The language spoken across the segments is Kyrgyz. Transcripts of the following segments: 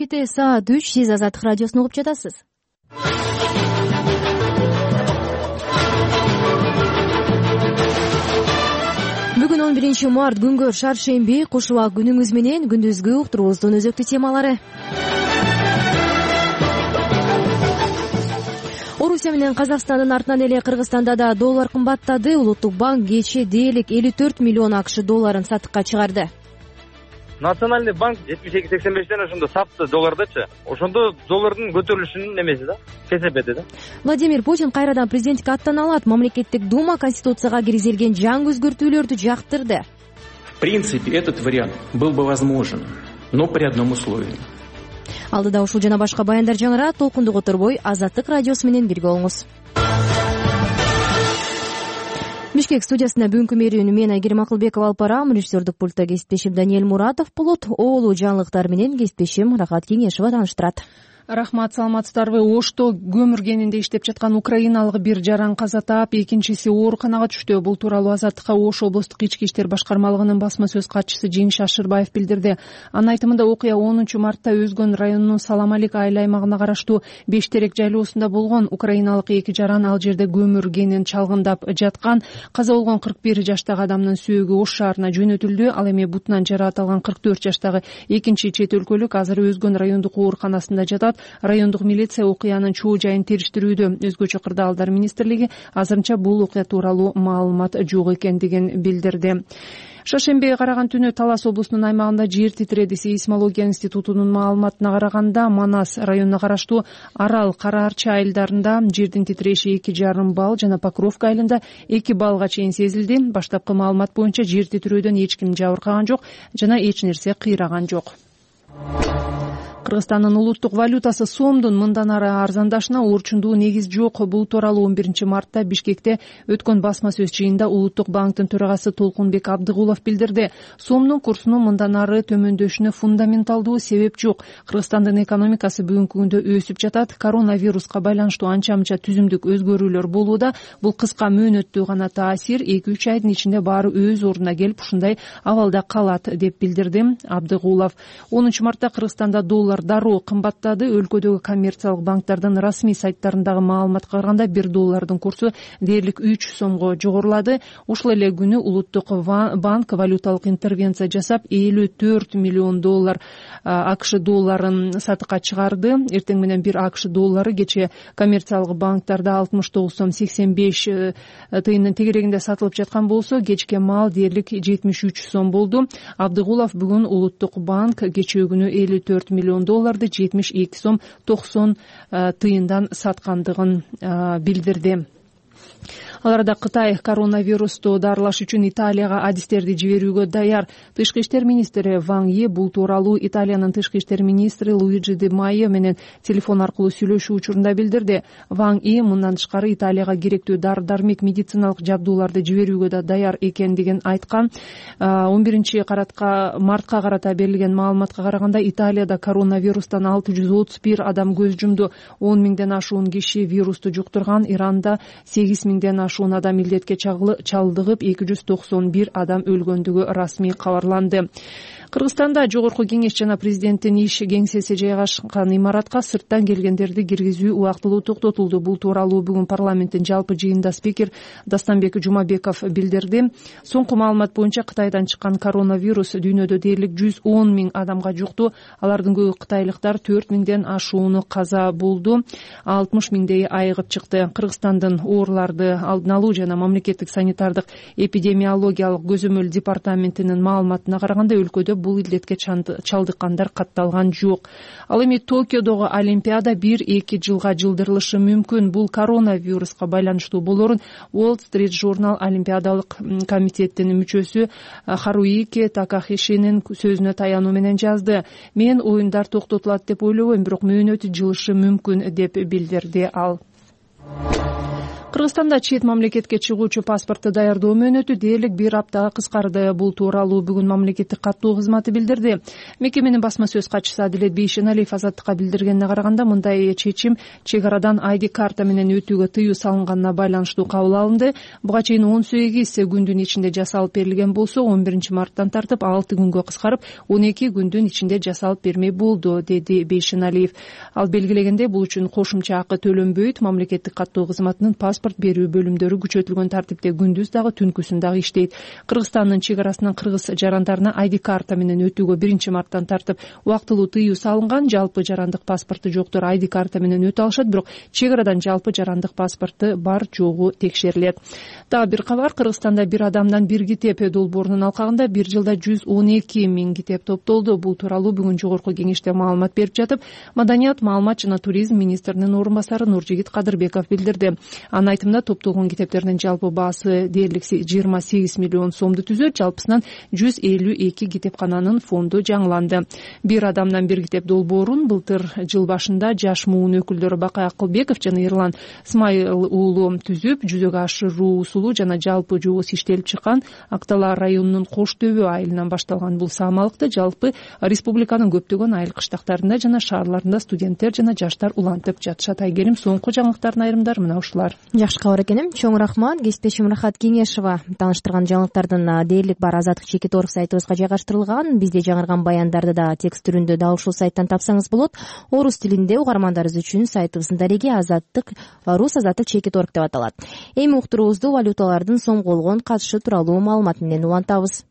Чечети саат 3. Сиз Азаттык радиосун угуп жатасыз. Бүгүн 11 март күнгө шаршемби. Куш убак күнүңүз менен күндүзгү уктуруубуздун өзөктүү темалары. Орусия менен Казакстандын артынан эле Кыргызстанда да доллар кымбаттады. Улуттук банк кечээ дээрлик 54 миллион АКШ долларын сатыкка чыгарды. Национальный банк 72-85 ошондо сапты доллардачы. Ошондо доллардын көтөрүлүшүнүн эмеси да, кесепети да. Владимир Путин кайрадан президенттикке аттана алат. Мамлекеттик дума Конституцияга киргизилген жаңы өзгөртүүлөрдү жактырды. В принципе, этот вариант был бы возможен, но при одном условии. Алдыда ушул жана башка баяндар жаңырат. Толкунду которбой Азаттык радиосу менен бирге болуңуз. Бишкек студиясында бүгүнкү мерүүнү мен Айгерим Акылбекова алып барам. Режиссердик пультта кесиптешим Даниэль Муратов болот. Оолу жаңылыктар менен кесиптешим Рахат Кеңешева тааныштырат. Рахмат, саламатсыздарбы? Ошто көмүр кенинде иштеп жаткан украиналык бир жаран каза таап, экинчиси ооруканага түштү. Бул тууралуу Азаттыкка Ош облустук ички иштер башкармалыгынын басма сөз катчысы Жеңиш Ашырбаев билдирди. Анын айтымында окуя 10 мартта Өзгөн районунун Саламалик айыл аймагына караштуу Бештерек жайлоосунда болгон. Украиналык эки жаран ал жерде көмүр кенин чалгындап жаткан. Каза болгон 41 жаштагы адамдын сөөгү Ош шаарына жөнөтүлдү. Ал эми бутунан жаракат алган 44 жаштагы экинчи чет өлкөлүк азыр Өзгөн райондук ооруканасында жатат. Райондук милиция окуянын чоо жайын териштирүүдө. Өзгөчө кырдаалдар министрлиги азырынча бул окуя тууралуу маалымат жок экендигин билдирди. Шаршембиге караган түнү Талас облусунун аймагында жер титиреди. Сейсмология институтунун маалыматына караганда Манас районуна караштуу Арал, Кара Арча айылдарында жердин титиреши 2,5 балл жана Покровка айылында 2 баллга чейин сезилди. Баштапкы маалымат боюнча жер титирөөдөн эч ким жабыркаган жок жана эч нерсе кыйраган жок. Кыргызстандын улуттук валютасы сомдун мындан ары арзандашына орчундуу негиз жок. Бул тууралуу 11 мартта Бишкекте өткөн басма сөз жыйында улуттук банктын төрагасы Толкунбек Абдыгулов билдирди. Сомдун курсунун мындан ары төмөндөшүнө фундаменталдуу себеп жок. Кыргызстандын экономикасы бүгүнкү күндө өсүп жатат. Коронавируска байланыштуу анча-мынча түзүмдүк өзгөрүүлөр болууда. Бул кыска мөөнөттүү гана таасир 2-3 айдын ичинде баары өз ордуна келип ушундай абалда калат деп билдирди Абдыгулов. 10 мартта Кыргызстанда доллар дароо кымбаттады. Өлкөдөгү коммерциялык банктардын расмий сайттарындагы маалыматка караганда 1 доллардын курсу дээрлик 3 сомго жогорулады. Ушул эле күнү улуттук банк валюталык интервенция жасап 54 миллион доллар АКШ долларын сатыкка чыгарды. Эртең менен 1 АКШ доллары кечээ коммерциялык банктарда 69 сом 85 тыйындын тегерегинде сатылып жаткан болсо, кечке маал дээрлик 73 сом болду. Абдыгулов бүгүн улуттук банк кечээ күнү 54 миллион долларды 72 сом 90 тыйындан саткандыгын билдирди. Ал арада Кытай коронавирусту дарылаш үчүн Италияга адистерди жиберүүгө даяр. Тышкы иштер министри Ван Йи бул тууралуу Италиянын тышкы иштер министри Луиджи Ди Майо менен телефон аркылуу сүйлөшүү учурунда билдирди. Ван Йи мындан тышкары Италияга керектүү дары-дармек, медициналык жабдууларды жиберүүгө да даяр экендигин айткан. 11 мартка карата берилген маалыматка караганда Италияда коронавирустан 631 адам көз жумду. 10 миңден ашуун киши вирусту жуктурган. Иранда 8 миңден ашуун адам илдетке чалдыгып, 291 адам өлгөндүгү расмий кабарланды. Кыргызстанда Жогорку кеңеш жана президенттин иш кеңсеси жайгашкан имаратка сырттан келгендерди киргизүү убактылуу токтотулду. Бул тууралуу бүгүн парламенттин жалпы жыйынында спикер Дастамбек Жумабеков билдирди. Соңку маалымат боюнча Кытайдан чыккан коронавирус дүйнөдө дээрлик 110 миң адамга жукту. Алардын көбү кытайлыктар, 4 миңден ашууну каза болду. 60 миңдей айыгып чыкты. Кыргызстандын ооруларды алдын алуу жана мамлекеттик санитардык эпидемиологиялык көзөмөл департаментинин маалыматына караганда өлкөдө бул илдетке чалдыккандар катталган жок. Ал эми Токиодогу Олимпиада 1-2 жылга жылдырылышы мүмкүн. Бул коронавируска байланыштуу болорун Wall Street Journal Олимпиадалык комитеттин мүчөсү Харуюки Такахишинин сөзүнө таянуу менен жазды. Мен оюндар токтотулат деп ойлобойм, бирок мөөнөтү жылышы мүмкүн деп билдирди ал. Кыргызстанда чет мамлекетке чыгуучу паспорту даярдоо мөөнөтү дээрлик 1 аптага кыскарды. Бул тууралуу бүгүн мамлекеттик каттоо кызматы билдирди. Мекеменин басма сөз катчысы Адилет Бейшеналиев Азаттыкка билдиргенине караганда, мындай чечим чек арадан ID карта менен өтүүгө тыюу салынганына байланыштуу кабыл алынды. Буга чейин 18 күндүн ичинде жасалып берилген болсо, 11 марттан тартып 6 күнгө кыскарып 12 күндүн ичинде жасалып бермей болду, деди Бейшеналиев. Ал белгилегенде, бул үчүн кошумча акы төлөнбөйт. Мамлекеттик каттоо кызматынын паспорт берүү бөлүмдөрү күчөтүлгөн тартипте күндүз дагы түнкүсүн дагы иштейт. Кыргызстандын чек арасынан кыргыз жарандарына ID карта менен өтүүгө 1 марттан тартып убактылуу тыюу салынган. Жалпы жарандык паспорту жоктор ID карта менен өтө алышат, бирок чек арадан жалпы жарандык паспорту бар жогу текшерилет. Дагы бир кабар: Кыргызстанда бир адамдан бир китеп долбоорунун алкагында 1 жылда 112 000 китеп топтолду. Бул тууралуу бүгүн жогорку кеңеште маалымат берип жатып, Маданият, маалымат жана туризм министринин орун басары Нуржигит Кадырбеков билдирди. Анын айтымында, топтолгон китептердин жалпы баасы дээрлик 28 миллион сомду түзөт. Жалпысынан 152 китепкананын фонду жаңыланды. Бир адамдан бир китеп долбоорун былтыр жыл башында жаш муун өкүлдөрү Бакай Акылбеков жана Эрлан Смайыл уулу түзүп, жүзөгө ашыруусу жана жалпы жобосу иштелип чыккан Актала районунун Кош Төбө айылынан башталган. Бул саамалыкты жалпы республиканын көптөгөн айыл кыштактарында жана шаарларында студенттер жана жаштар улантып жатышат. Айгерим, соңку жаңылыктардын айрымдары мына ушулар. Жакшы кабар экеним. Чоң рахмат. Кесиптешим Рахат Кеңешова тааныштырган жаңылыктардын дээрлик бар Азаттык чекит орг сайтыбызга жайгаштырылган. Бизде жаңырган баяндарды да текст түрүндө дал ушул сайттан тапсаңыз болот. Орус тилинде угармандарыбыз үчүн сайтыбыздын дареги Азаттык Азаттык чекит орг деп аталат. Эми уктуруубузду валюталардын сомголгон катышы тууралуу маалымат менен улантабыз.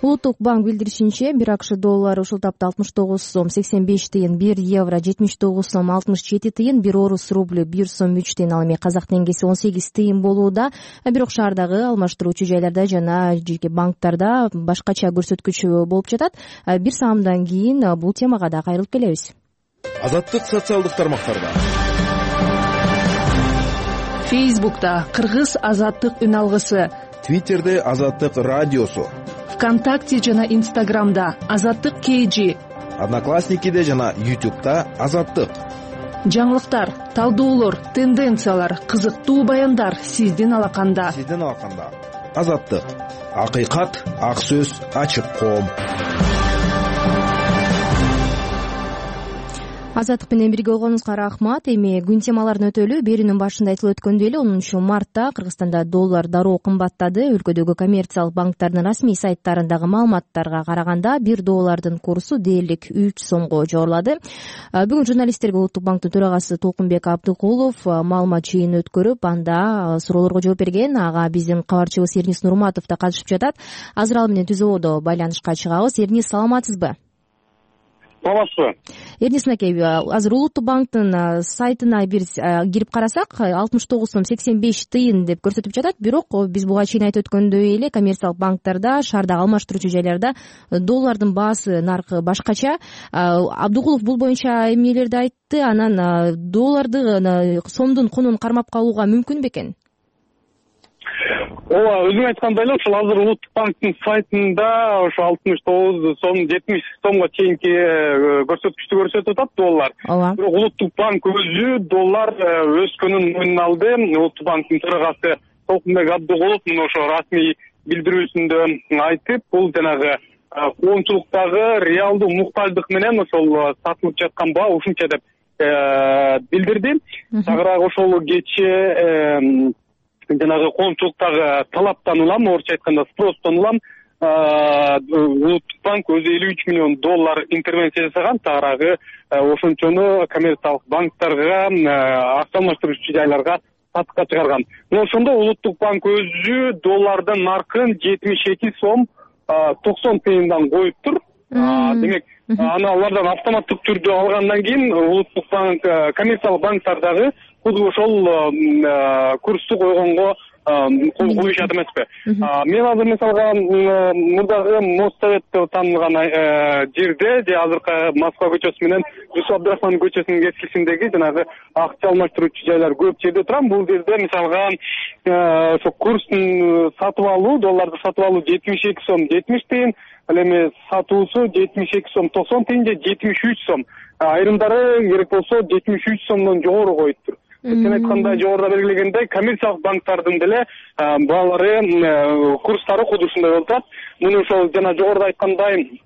Улуттук банк билдиришинче, 1 АКШ доллары ушул тапта 69 сом 85 тыйын, 1 евро 79 сом 67 тыйын, 1 орус рубль 1 сом 3 тыйын, ал эми казак теңгеси 18 тыйын болууда. Бирок шаардагы алмаштыруучу жайларда жана жеке банктарда башкача көрсөткүч болуп жатат. Бир саамдан кийин бул темага да кайрылып келебиз. Азаттык социалдык тармактарда. Фейсбукта Кыргыз Азаттык үн алгысы, Твиттерде Азаттык радиосу, ВКонтакте жана Инстаграмда Азаттык KG, Одноклассникиде жана YouTube'да Азаттык. Жаңылыктар, талдоолор, тенденциялар, кызыктуу баяндар сиздин алаканда. Азаттык. Акыйкат, ак сөз, ачык коом. Азаттык менен бирге болгонуңузга рахмат. Эми күн темаларын өтөлү. Берүүнүн башында айтылып өткөндөй эле 10 мартта Кыргызстанда доллар дароо кымбаттады. Өлкөдөгү коммерциялык банктардын расмий сайттарындагы маалыматтарга караганда 1 доллардын курсу дээрлик 3 сомго жогорулады. Бүгүн журналисттерге Улуттук банктын төрагасы Толкунбек Абдыкулов маалымат жыйынын өткөрүп, анда суроолорго жооп берген. Ага биздин кабарчыбыз Эрнис Нурматов да катышып жатат. Азыр ал менен түз абалда байланышка чыгабыз. Эрнис, саламатсызбы? Саламатсызбы? Эрнис аке, азыр Улуттук банктын сайтына бир кирип карасак, 69 сом 85 тыйын деп көрсөтүп жатат. Бирок биз буга чейин айтып өткөндөй эле коммерциялык банктарда, шаардагы алмаштыруучу жайларда доллардын баасы, наркы башкача. Абдыкулов бул боюнча эмнелерди айтты? Анан долларды, сомдун кунун кармап калууга мүмкүн бекен? Ооба, өзүң айткандай эле ушул азыр Улуттук банктын сайтында ошо 69 сом 70 сомго чейинки көрсөткүчтү көрсөтүп атат доллар. Бирок Улуттук банк өзү доллар өскөнүн мойнуна алды. Улуттук банктын төрагасы Толкунбек Абдыкулов мына ошо расмий билдирүүсүндө айтып, бул жанагы коомчулуктагы реалдуу муктаждык менен ошол сатылып жаткан баа ушунча деп билдирди. Тагыраак ошол кечээ жанагы коомчулуктагы талаптан улам, орусча айтканда спростон улам, Улуттук банк өзү 53 миллион доллар интервенция жасаган. Тагыраагы ошончону коммерциялык банктарга, акча алмаштыруучу жайларга сатыкка чыгарган. Ошондо Улуттук банк өзү доллардын наркын 72 сом 90 тыйындан коюптур. Демек, аны алардан автоматтык түрдө алгандан кийин Улуттук банк, коммерциялык банктардагы курсту койгонго коюшат эмеспи. Мен азыр мисалга мурдагы Моссовет деп таанылган жерде же азыркы Москва көчөсү менен Жусуп Абдрахман көчөсүнүн кескисиндеги жанагы акча алмаштыруучу жайлар көп жерде турам. Бул жерде мисалга ошо курстун сатып алуу, долларды сатып алуу 72 сом 70 тыйын, ал эми сатуусу 72 сом 90 тыйын же 73 сом. Айрымдары керек болсо 73 сомдон жогору коюптур. Сен айткандай жогоруда белгилегендей коммерциялык банктардын деле баалары курстары кудусундай болуп турат. Муну ошол жана жогоруда айткандай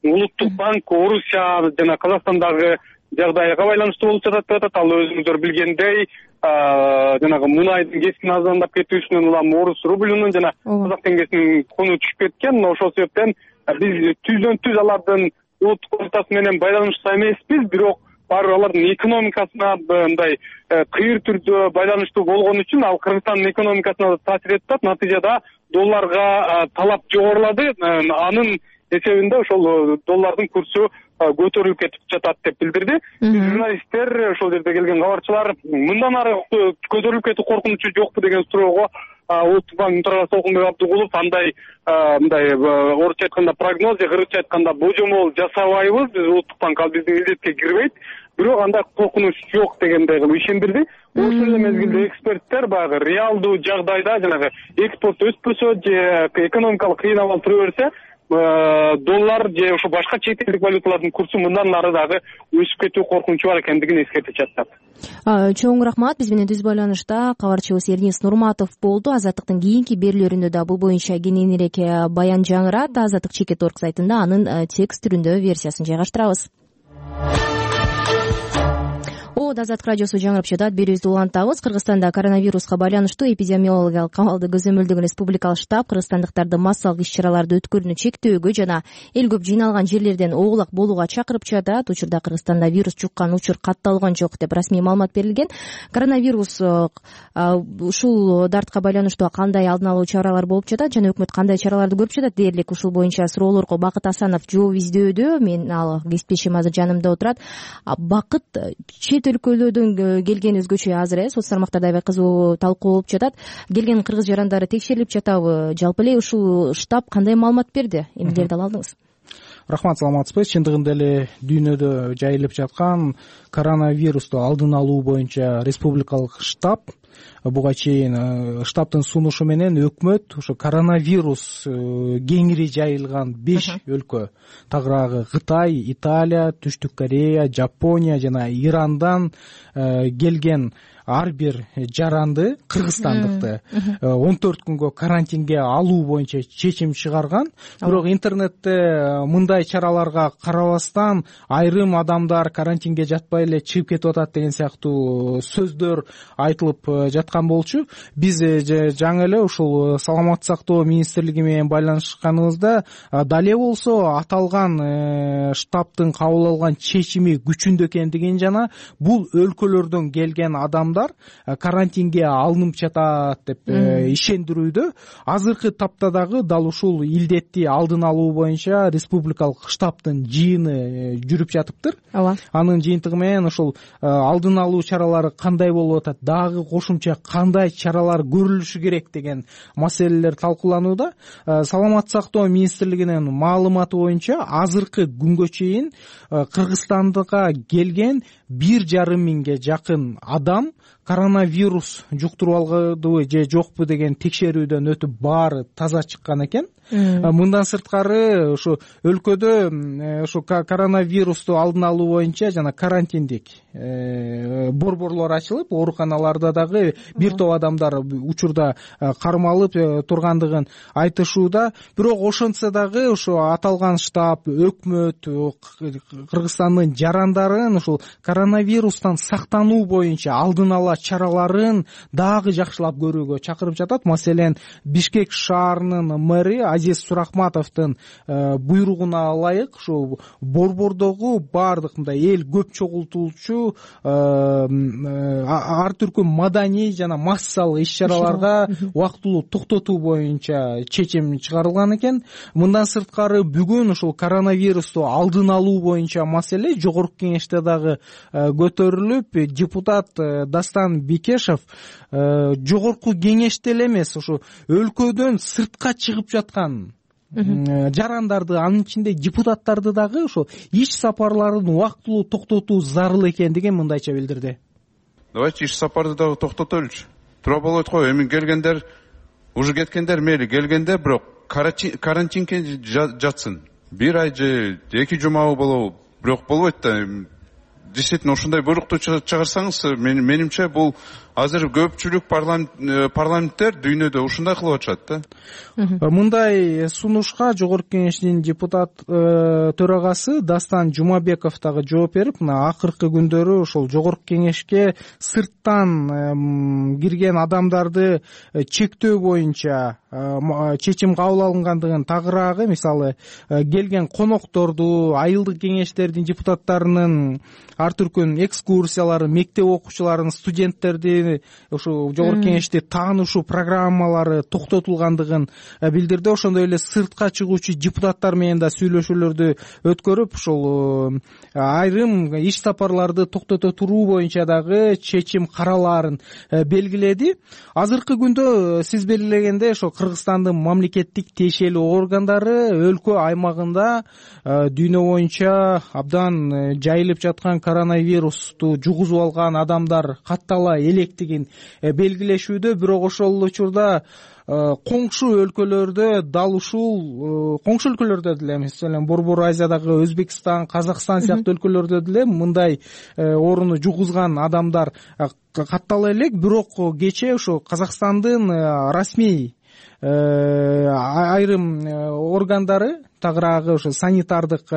Улуттук банк Орусия жана Казакстандагы жагдайга байланыштуу болуп жатат деп атат. Ал өзүңүздөр билгендей жанагы мунайдын кескин арзандап кетүүсүнөн улам орус рублунун жана казак теңгесинин куну түшүп кеткен. Ошол себептен биз түздөн-түз алардын улуттук валютасы менен байланышта эмеспиз, бирок баары алардын экономикасына мындай кыйыр түрдө байланыштуу болгон үчүн ал Кыргызстандын экономикасына да таасир этип атат. Натыйжада долларга талап жогорулады. Анын эсебинде ошол доллардын курсу көтөрүлүп кетип жатат деп билдирди. Журналисттер, ошол жерде келген кабарчылар мындан ары көтөрүлүп кетүү коркунучу жокпу деген суроого Улуттук банктын төрагасы Толкунбек Абдыгулов мындай орусча айтканда прогноз же кыргызча айтканда божомол жасабайбыз, биз Улуттук банк ал биздин милдетке кирбейт, бирок андай коркунуч жок дегендей кылып ишендирди. Ошол эле мезгилде эксперттер баягы реалдуу жагдайда жанагы экспорт өспөсө же экономикалык кыйын абал тура берсе доллар же ошо башка чет элдик валюталардын курсу мындан ары дагы өсүп кетүү коркунучу бар экендигин эскертип жатышат. Чоң рахмат. Биз менен түз байланышта кабарчыбыз Эрнис Нурматов болду. Азаттыктын кийинки берүүлөрүндө да бул боюнча кененирээк баян жаңырат. Азаттык /.org сайтында анын текст түрүндө версиясын жайгаштырабыз. Азаттык радиосу жаңырып жатат. Берүүбүздү улантабыз. Кыргызстанда коронавируска байланыштуу эпидемиологиялык абалды көзөмөлдөгөн республикалык штаб кыргызстандыктарды массалык иш-чараларды өткөрүүнү чектөөгө жана эл көп жыйналган жерлерден оолак болууга чакырып жатат. Учурда Кыргызстанда вирус жуккан учур катталган жок деп расмий маалымат берилген. Коронавирус ушул дартка байланыштуу кандай алдын алуу чаралар болуп жатат жана өкмөт кандай чараларды көрүп жатат дээрлик ушул боюнча суроолорго Бакыт Асанов жооп издөөдө. Мен ал кесиптешим азыр жанымда отурат. Бакыт, чет өлкөлөрдөн келген өзгөчө азыр соц тармактарда аябай кызуу талкуу болуп жатат. Келген кыргыз жарандары текшерилип жатабы? Жалпы эле ушул штаб кандай маалымат берди? Эмнелерди ала алдыңыз? Рахмат, саламатсызбы. Чындыгында эле дүйнөдө жайылып жаткан коронавирусту алдын алуу боюнча республикалык штаб, буга чейин штабтын сунушу менен өкмөт ошо коронавирус кеңири жайылган 5 өлкө, тагыраагы Кытай, Италия, Түштүк Корея, Жапония жана Ирандан келген ар бир жаранды кыргызстандыкты 14 күнгө карантинге алуу боюнча чечим чыгарган. Бирок интернетте мындай чараларга карабастан айрым адамдар карантинге жатпай эле чыгып кетип атат деген сыяктуу сөздөр айтылып жаткан болчу. Биз жаңы эле ушул саламаттык сактоо министрлиги менен байланышканыбызда дале болсо аталган штабтын кабыл алган чечими күчүндө экендигин жана бул өлкөлөрдөн келген адамдар карантинге алынып жатат деп ишендирүүдө. Азыркы тапта дагы дал ушул илдетти алдын алуу боюнча республикалык штабтын жыйыны жүрүп жатыптыр. Анын жыйынтыгы менен ушул алдын алуу чаралары кандай болуп атат, дагы кошумча кандай чаралар көрүлүшү керек деген маселелер талкууланууда. Саламаттык сактоо министрлигинин маалыматы боюнча азыркы күнгө чейин Кыргызстандыга келген 1,5 миңге жакын адам коронавирус жуктуруп алгандыбы же жокпу деген текшерүүдөн өтүп баары таза чыккан экен. Мындан сырткары ушу өлкөдө ушу коронавирусту алдын алуу боюнча жана карантиндик борборлор ачылып, ооруканаларда дагы бир топ адамдар учурда кармалып тургандыгын айтышууда. Бирок ошентсе дагы ушу аталган штаб, өкмөт Кыргызстандын жарандарын ушул коронавирустан сактануу боюнча алдын ала чараларын дагы жакшылап көрүүгө чакырып жатат. Маселен, Бишкек шаарынын мэри Азиз Сурахматовдун буйругуна ылайык ушу борбордогу баардык мындай эл көп чогултуучу ар түркү маданий жана массалык иш-чараларга убактылуу токтотуу боюнча чечим чыгарылган экен. Мындан сырткары бүгүн ушул коронавирусту алдын алуу боюнча маселе жогорку кеңеште дагы көтөрүлүп, депутат Дастан Бекешев жогорку кеңеште эле эмес, ушу өлкөдөн сыртка чыгып жаткан жарандарды, анын ичинде депутаттарды дагы ошо иш сапарларын убактылуу токтотуу зарыл экендигин мындайча билдирди. Давайте иш сапарды дагы токтотолучу. Туура болот го, эми келгендер, уже кеткендер мейли, келгендер бирок карантинге жатсын. Бир ай же 2 жумабы болобу, бирок болбойт да. Действительно ушундай буйрукту чыгарсаңыз, менимче бул азыр көпчүлүк парламенттер дүйнөдө ушундай кылып атышат да. Мындай сунушка жогорку кеңештин депутат төрагасы Дастан Жумабеков дагы жооп берип, мына акыркы күндөрү ошол жогорку кеңешке сырттан кирген адамдарды чектөө боюнча чечим кабыл алынгандыгын, тагыраагы мисалы келген конокторду, айылдык кеңештердин депутаттарынын ар түркүн экскурсиялары, мектеп окуучуларын, студенттерди ушу жогорку кеңеште таанышуу программалары токтотулгандыгын билдирди. Ошондой эле сыртка чыгуучу депутаттар менен да сүйлөшүүлөрдү өткөрүп, ушул айрым иш сапарларды токтото туруу боюнча дагы чечим каралаарын белгиледи. Азыркы күндө сиз белгилегендей ошо Кыргызстандын мамлекеттик тиешелүү органдары өлкө аймагында дүйнө боюнча абдан жайылып жаткан коронавирусту жугузуп алган адамдар каттала электигин белгилешүүдө. Бирок ошол учурда коңшу өлкөлөрдө дал ушул коңшу өлкөлөрдө деле, маселен Борбор Азиядагы Өзбекстан, Казакстан сыяктуу өлкөлөрдө деле мындай ооруну жугузган адамдар каттала элек. Бирок кечээ ошо Казакстандын расмий айрым органдары, тагыраагы ошо санитардык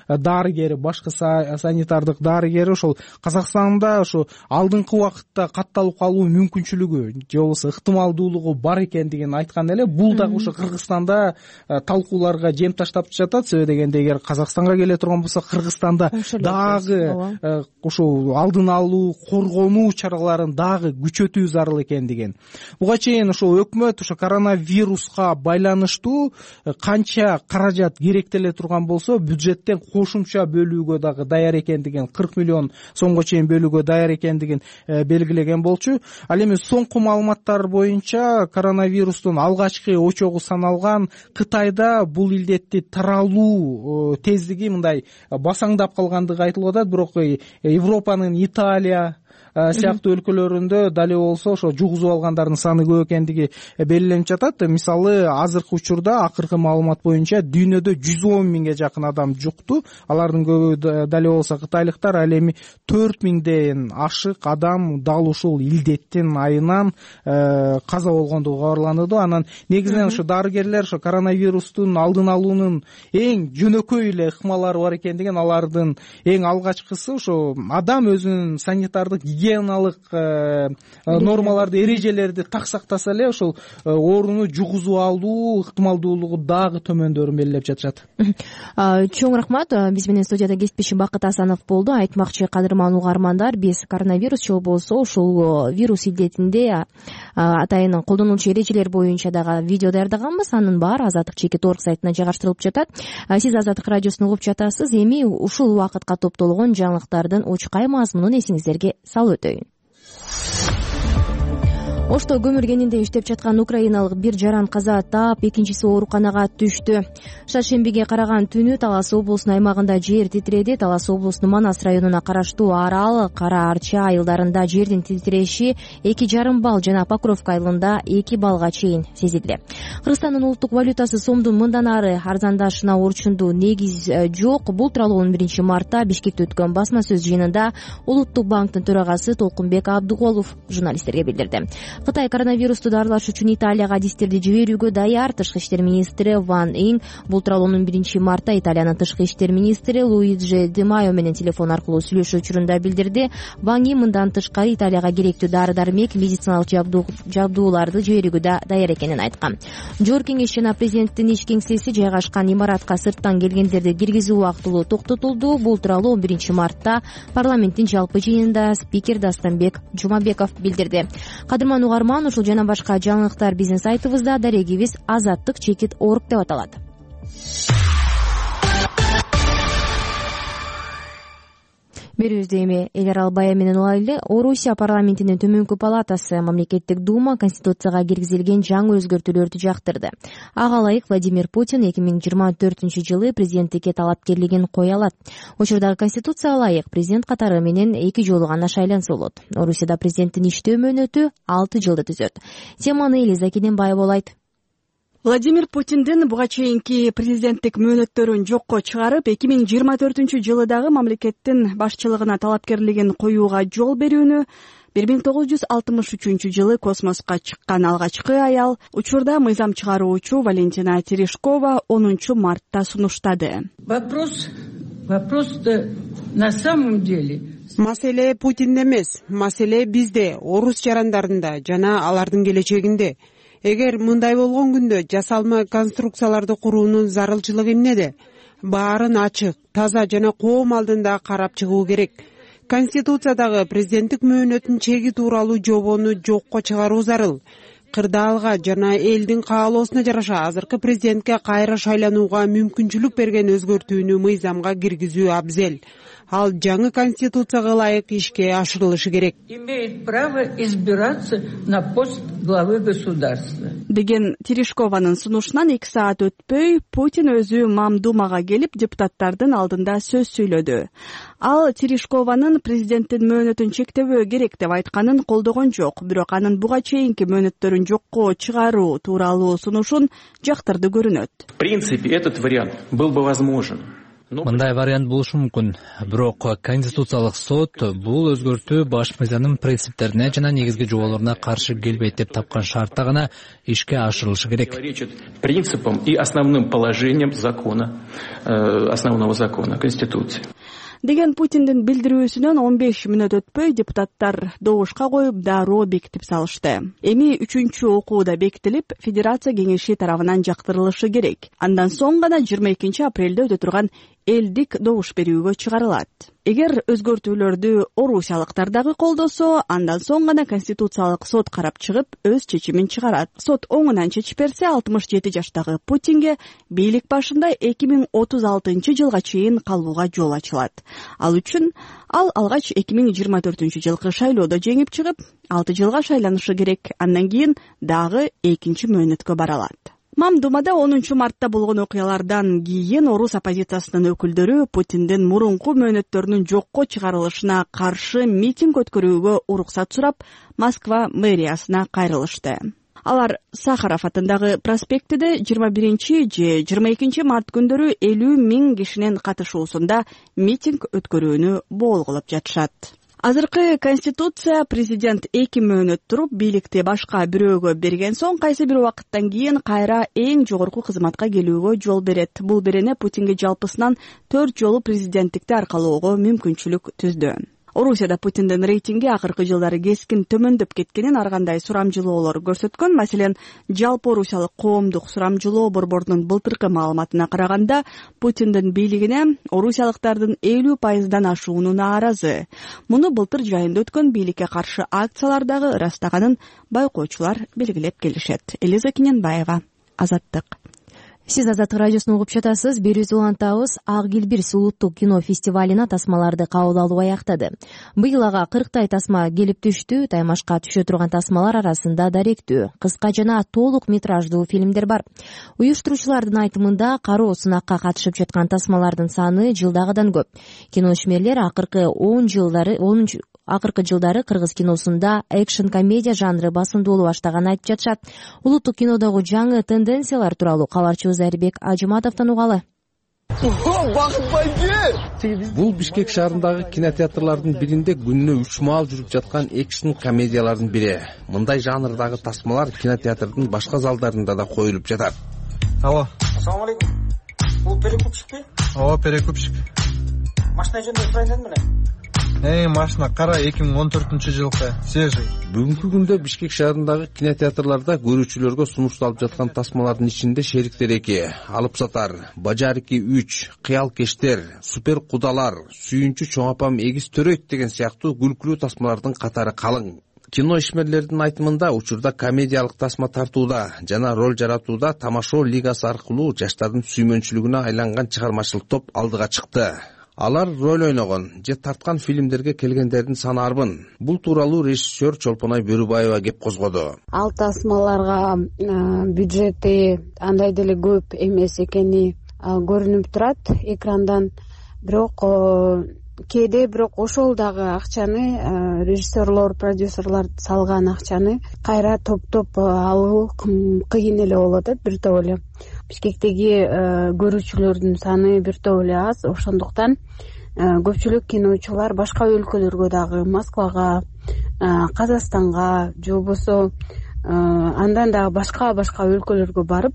дарыгери, башкы санитардык дарыгери ошол Казакстанда ошо алдыңкы убакытта катталып калуу мүмкүнчүлүгү же болбосо ыктымалдуулугу бар экендигин айткан эле. Бул дагы ошо Кыргызстанда талкууларга жем таштап жатат. Себеби дегенде эгер Казакстанга келе турган болсо, Кыргызстанда дагы ошо алдын алуу, коргонуу чараларын дагы күчөтүү зарыл экендигин. Буга чейин ошо өкмөт ошо коронавируска байланыштуу канча каражат керектеле турган болсо, бюджеттен кошумча бөлүүгө дагы даяр экендигин, 40 миллион сомго чейин бөлүүгө даяр экендигин белгилеген болчу. Ал эми соңку маалыматтар боюнча коронавирустун алгачкы очогу саналган Кытайда бул илдетти таралуу тездиги мындай басаңдап калгандыгы айтылып атат. Бирок Европанын Италия сыяктуу өлкөлөрүндө дали болсо ошо жугузуп алгандардын саны көп экендиги белгиленип жатат. Мисалы азыркы учурда акыркы маалымат боюнча дүйнөдө 110 миңге жакын адам жукту. Алардын көбү дали болсо кытайлыктар. Ал эми 4 миңден ашык адам дал ушул илдеттин айынан каза болгондугу кабарланды. Анан негизинен ошо дарыгерлер ошо коронавирустун алдын алуунун эң жөнөкөй эле ыкмалары бар экендигин, алардын эң алгачкысы ошо адам өзүнүн санитардык гигиеналык нормаларды, эрежелерди так сактаса эле ошол ооруну жугузуп алуу ыктымалдуулугу дагы төмөндөрүн белгилеп жатышат. Чоң рахмат. Биз менен студияда кесипбеши Бакыт Асанов болду. Айтмакчы кадырман угармандар, биз коронавирус же болбосо ушул вирус илдетинде атайын колдонулчу эрежелер боюнча дагы видео даярдаганбыз. Анын баары Азаттык.org сайтына жайгаштырылып жатат. Сиз Азаттык радиосун угуп жатасыз. Эми ушул убакытка топтолгон жаңылыктардын учкай мазмунун эсиңиздерге салып өтөйүн. Ошто көмүргенинде иштеп жаткан украиналык бир жаран каза таап, экинчиси ооруканага түштү. Шаршембиге караган түнү Талас облусунун аймагында жер титиреди. Талас облусунун Манас районуна караштуу Арал, Кара Арча айылдарында жердин титиреши 2,5 балл жана Покровка айылында 2 баллга чейин сезилди. Кыргызстандын улуттук валютасы сомдун мындан ары арзандашына орчундуу негиз жок. Бул тууралуу 11 мартта Бишкекте өткөн басма сөз жыйынында Улуттук банктын төрагасы Толкунбек Абдыголов журналисттерге билдирди. Кытай коронавирусту дарылаш үчүн Италияга адистерди жиберүүгө даяр. Тышкы иштер министри Ван Ин бул тууралуу 11 мартта Италиянын тышкы иштер министри Луиджи Ди Майо менен телефон аркылуу сүйлөшүү учурунда билдирди. Ван Ин мындан тышкары Италияга керектүү дары-дармек, медициналык жабдууларды жиберүүгө да даяр экенин айткан. Жогорку кеңеш жана президенттин иш кеңсеси жайгашкан имаратка сырттан келгендерди киргизүү убактылуу токтотулду. Бул тууралуу 11 мартта парламенттин жалпы жыйынында спикер Дастанбек Жумабеков билдирди. Кадырман угарман, ушул жана башка жаңылыктар биздин сайтыбызда, дарегибиз Азаттык.org деп аталат. берүүбүздү эми Элер Албай менен улайлы. Орусия парламентинин төмөнкү палатасы мамлекеттик дума Конституцияга киргизилген жаңы өзгөртүүлөрдү жактырды. Ага ылайык Владимир Путин 2024-жылы президенттикке талапкерлигин кое алат. Учурдагы Конституцияга ылайык президент катары менен 2 жолу гана шайланса болот. Орусияда президенттин иштөө мөөнөтү 6 жылды түзөт. Теманы Элиза Кененбаева болайт. Владимир Путиндин буга чейинки президенттик мөөнөттөрүн жокко чыгарып, 2024-жылы дагы мамлекеттин башчылыгына талапкерлигин коюуга жол берүүнү 1963-жылы космоско чыккан алгачкы аял, учурда мыйзам чыгаруучу Валентина Терешкова 10 мартта сунуштады. Вопрос на самом деле. Маселе Путинде эмес, маселе бизде, орус жарандарында жана алардын келечегинде. Эгер мындай болгон күндө жасалма конструкцияларды куруунун зарылчылыгы эмнеде? Баарын ачык, таза жана коом алдында карап чыгуу керек. Конституциядагы президенттик мөөнөтүн чеги тууралуу жобону жокко чыгаруу зарыл. Кырдаалга жана элдин каалоосуна жараша азыркы президентке кайра шайланууга мүмкүнчүлүк берген өзгөртүүнү мыйзамга киргизүү абзел. Ал жаңы конституцияга ылайык ишке ашырылышы керек. Имеет право избираться на пост главы государства. Деген Терешкованын сунушунан 2 саат өтпөй Путин өзү Мамдумага келип депутаттардын алдында сөз сүйлөдү. Ал Терешкованын президенттин мөөнөтүн чектебөө керек деп айтканын колдогон жок, бирок анын буга чейинки мөөнөттөрүн жокко чыгаруу тууралуу сунушун жактырды көрүнөт. В принципе, этот вариант был бы возможен. Мындай вариант болушу мүмкүн, бирок Конституциялык сот бул өзгөртүү баш мыйзамдын принциптерине жана негизги жоболоруна каршы келбейт деп тапкан шартта гана ишке ашырылышы керек. Противоречит принципам и основным положениям закона, основного закона Конституции. Деген Путиндин билдирүүсүнөн 15 мүнөт өтпөй депутаттар добушка коюп дароо бекитип салышты. Эми 3-чү окууда бекитилип, Федерация кеңеши тарабынан жактырылышы керек. Андан соң гана 22 апрелде өтө турган элдик добуш берүүгө чыгарылат. Эгер өзгөртүүлөрдү орусиялыктар дагы колдосо, андан соң гана Конституциялык сот карап чыгып, өз чечимин чыгарат. Сот оңунан чечип берсе, 67 жаштагы Путинге бийлик башында 2036-жылга чейин калууга жол ачылат. Ал үчүн ал алгач 2024-жылкы шайлоодо жеңип чыгып, 6 жылга шайланышы керек. Андан кийин дагы 2-чи мөөнөткө бара алат. Мамдумада 10 мартта болгон окуялардан кийин орус оппозициясынын өкүлдөрү Путиндин мурунку мөөнөттөрүнүн жокко чыгарылышына каршы митинг өткөрүүгө уруксат сурап, Москва мэриясына кайрылышты. Алар Сахаров атындагы проспектиде 21 же 22 март күндөрү 50 000 кишинин катышуусунда митинг өткөрүүнү болгулап жатышат. Азыркы Конституция президент 2 мөөнөт туруп бийликти башка бирөөгө берген соң кайсы бир убакыттан кийин кайра эң жогорку кызматка келүүгө жол берет. Бул берене Путинге жалпысынан 4 жолу президенттикти аркалоого мүмкүнчүлүк түздү. Орусияда Путиндин рейтинги акыркы жылдары кескин төмөндөп кеткенин ар кандай сурамжылоолор көрсөткөн. Маселен, жалпы орусиялык коомдук сурамжылоо борборунун былтыркы маалыматына караганда, Путиндин бийлигине орусиялыктардын 50% ашууну нааразы. Муну былтыр жайында өткөн бийликке каршы акциялар дагы ырастаганын байкоочулар белгилеп келишет. Элиза Кененбаева, Азаттык. Сиз Азаттык радиосун угуп жатасыз. Берүүбүздү улантабыз. Ак Килбирс улуттук кино фестивалына тасмаларды кабыл алуу аяктады. Быйыл ага 40 тасма келип түштү. Таймашка түшө турган тасмалар арасында даректүү, кыска жана толук метраждуу фильмдер бар. Уюштуруучулардын айтымында кароо сынакка катышып жаткан тасмалардын саны жылдагыдан көп. Киношмерлер акыркы жылдары кыргыз киносунда экшн комедия жанры басымдуу боло баштаганын айтып жатышат. Улуттук кинодогу жаңы тенденциялар тууралуу кабарчыбыз Айрбек Ажыматовдон угалы. Бул Бишкек шаарындагы кинотеатрлардын биринде күнүнө 3 маал жүрүп жаткан экшн комедиялардын бири. Мындай жанрдагы тасмалар кинотеатрдын башка залдарында да коюлуп жатат. Алло. Ассаламу алейкум. Бул перекупщикпи? Ооба, перекупщик. Машина жөнүндө сурайын дедим эле. Машина кара 2014-жылкы, свежий. Бүгүнкү күндө Бишкек шаарындагы кинотеатрларда көрүүчүлөргө сунушталып жаткан тасмалардын ичинде Шериктер 2, Алып сатар, Бажар 2, 3, Кыял кештер, Супер кудалар, Сүйүнчү чоң апам эгиз төрөйт деген сыяктуу күлкүлүү тасмалардын катары калың. Кино ишмерлердин айтымында учурда комедиялык тасма тартууда жана роль жаратууда Тамашоо лигасы аркылуу жаштардын сүймөнчүлүгүнө айланган чыгармачылык топ алдыга чыкты. алар роль ойногон же тарткан фильмдерге келгендердин саны арбын. Бул тууралуу режиссер Чолпонай Бөрүбаева кеп козгоду. Ал тасмаларга бюджети андай деле көп эмес экени көрүнүп турат экрандан, бирок кээде ошол дагы акчаны режиссерлор, продюсерлор салган акчаны кайра топтоп алуу кыйын эле болуп атат. Бир топ эле Бишкектеги көрүүчүлөрдүн саны бир топ эле аз, ошондуктан көпчүлүк киночулар башка өлкөлөргө дагы, Москвага, Казакстанга же болбосо андан дагы башка өлкөлөргө барып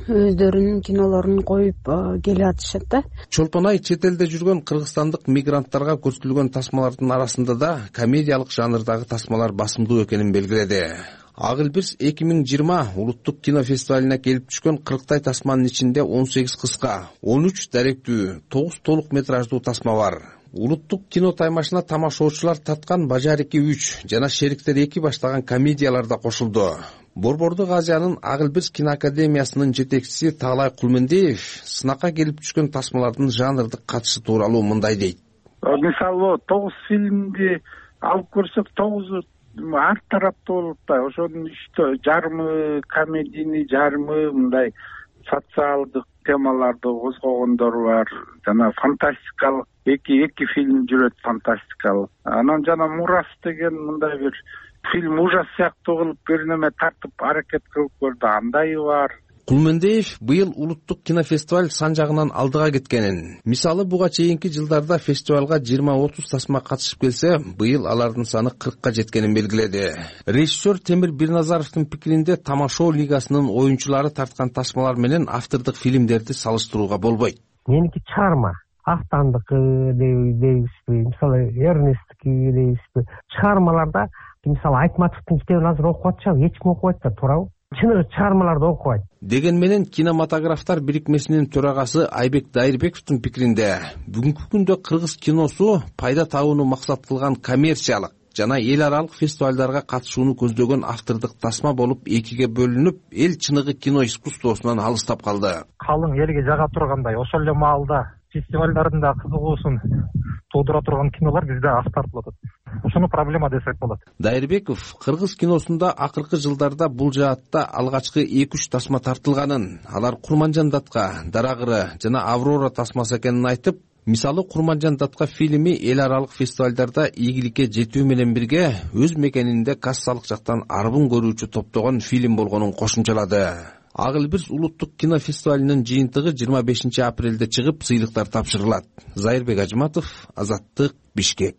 өздөрүнүн кинолорун коюп келип атышат да. Чолпонай чет элде жүргөн кыргызстандык мигранттарга көрсөтүлгөн тасмалардын арасында да комедиялык жанрдагы тасмалар басымдуу экенин белгиледи. Ак Элбирс 2020 улуттук кинофестивалине келип түшкөн 40 тасманын ичинде 18 кыска, 13 даректүү, 9 толук метраждуу тасма бар. Улуттук кино таймашына тамашоочулар тарткан Бажарики 3 жана Шериктер 2 баштаган комедиялар да кошулду. Борбордук Азиянын Ак Элбирс киноакадемиясынын жетекчиси Таалай Кулмендиев сынакка келип түшкөн тасмалардын жанрдык катышы тууралуу мындай дейт. Мисалы 9 фильмди алып көрсөк, 9 ар тараптуу болуп атпайбы? Ошонун жарымы комедийный, жарымы мындай социалдык темаларды козгогондор бар. Жана фантастикалык эки фильм жүрөт, фантастикалык. Анан жана Мурас деген мындай бир фильм ужас сыяктуу кылып бир неме тартып аракет кылып көрдү, андайы бар. Кулмендиев быйыл улуттук кинофестиваль сан жагынан алдыга кеткенин, мисалы буга чейинки жылдарда фестивалга 20-30 тасма катышып келсе, быйыл алардын саны 40 жеткенин белгиледи. Режиссер Темир Бирназаровдун пикиринде тамашоо лигасынын оюнчулары тарткан тасмалар менен автордук фильмдерди салыштырууга болбойт. Меники чыгарма, Актандыкы дейбизби, мисалы Эрнесттики дейбизби, чыгармаларда мисалы Айтматовдун китебин азыр окуп атышабы, эч ким окубайт да, туурабы? Чыныгы чыгармаларды окубайт. Деген менен кинематографтар бирикмесинин төрагасы Айбек Дайырбековдун пикиринде бүгүнкү күндө кыргыз киносу пайда табууну максат кылган коммерциялык жана эл аралык фестивалдарга катышууну көздөгөн автордук тасма болуп экиге бөлүнүп, эл чыныгы кино искусствосунан алыстап калды. Калың элге жага тургандай, ошол эле маалда фестивалдардын да кызыгуусун туудура турган кинолор бизде аз тартылып атат. Ошону проблема десек болот. Дайырбеков кыргыз киносунда акыркы жылдарда бул жаатта алгачкы 2-3 тасма тартылганын, алар Курманжан Датка, Дарагыры жана Аврора тасмасы экенин айтып, мисалы Курманжан Датка фильми эл аралык фестивалдарда ийгиликке жетүү менен бирге өз мекенинде кассалык жактан арбын көрүүчү топтогон фильм болгонун кошумчалады. Ак Элбирс улуттук кинофестивалинин жыйынтыгы 25 апрелде чыгып, сыйлыктар тапшырылат. Зайырбек Ажматов, Азаттык, Бишкек.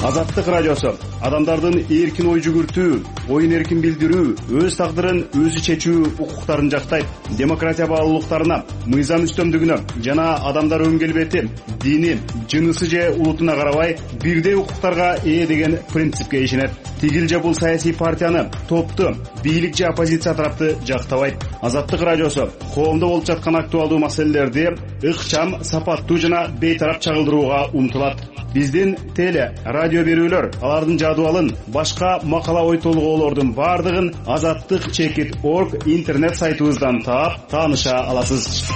Азаттык радиосу адамдардын эркин ой жүгүртүү, оюн эркин билдирүү, өз тагдырын өзү чечүү укуктарын жактайт. Демократия баалуулуктарына, мыйзам үстөмдүгүнө жана адамдар өн келбети, дини, жынысы же улутуна карабай бирдей укуктарга ээ деген принципке ишенет. Тигил же бул саясий партияны, топту, бийлик же оппозиция тарапты жактабайт. Азаттык радиосу коомдо болуп жаткан актуалдуу маселелерди ыкчам, сапаттуу жана бейтарап чагылдырууга умтулат. Биздин теле, радио берүүлөр, алардын жадыбалын, башка макала ой толгоолордун бардыгын azattik.org интернет сайтыбыздан таап, тааныша аласыз.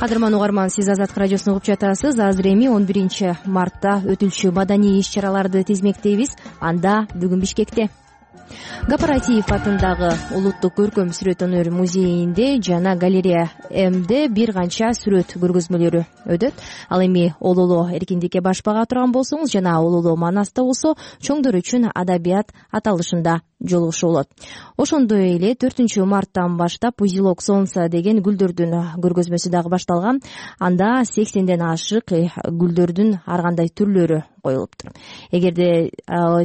Кадырман угарман, сиз Азаттык радиосун угуп жатасыз. Азыр эми 11 мартта өтүлчү маданий иш-чараларды тизмектейбиз. Анда бүгүн Бишкекте Гапаратиев атындагы улуттук көркөм сүрөт өнөр музейинде жана галерея М'де бир канча сүрөт көргөзмөлөрү өтөт. Ал эми Ололо эркиндикке баш бага турган болсоңуз жана Ололо Манаста болсо чоңдор үчүн адабият аталышында жолугушуу болот. Ошондой эле 4 марттан баштап Узелок солнца деген гүлдөрдүн көргөзмөсү дагы башталган. Анда 80ден ашык гүлдөрдүн ар кандай түрлөрү коюлуптур. Эгерде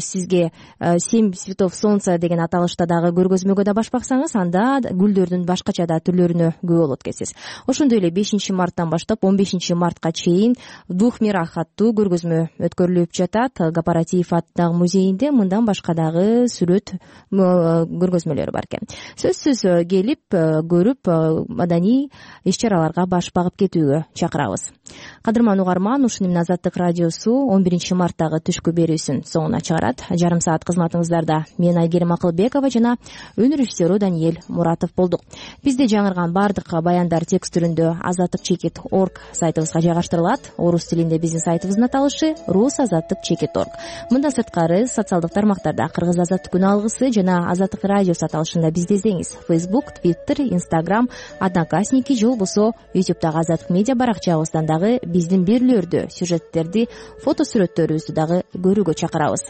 сизге 7 цветов солнца деген аталышта дагы көргөзмөгө да баш баксаңыз, анда гүлдөрдүн башкача да түрлөрүнө күбө болот экенсиз. Ошондой эле 5 марттан баштап 15 мартка чейин в двух мирах аттуу көргөзмө өткөрүлүп жатат. Гапаратиев атындагы музейинде мындан башка дагы сүрөт көргөзмөлөрү бар экен. Сөзсүз келип көрүп маданий иш чараларга баш багып кетүүгө чакырабыз. Кадырман угарман, ушуну менен Азаттык радиосу 11 марттагы түшкү берүүсүн соңуна чыгарат. Жарым саат кызматыңыздарда мен Айгерим Акылбекова жана өнөр режиссеру Даниэль Муратов болдук. Бизде жаңырган баардык баяндар текст түрүндө azattik.org сайтыбызга жайгаштырылат. Орус тилинде биздин сайтыбыздын аталышы rusazattik.org. Мындан сырткары социалдык тармактарда Кыргыз Азаттык күн алгысы жана Азаттык радиосу аталышында бизди издеңиз. Facebook, Twitter, Instagram, Одноклассники же болбосо YouTube'дагы Азаттык медиа баракчабыздан дагы биздин берүүлөрдү, сюжеттерди, фото сүрөттөрүбүздү дагы көрүүгө чакырабыз.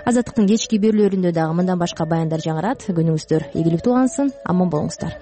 Азаттыктын кечки берүүлөрүндө дагы мындан башка баяндар жаңырат. Күнүңүздөр ийгиликтүү улансын, аман болуңуздар.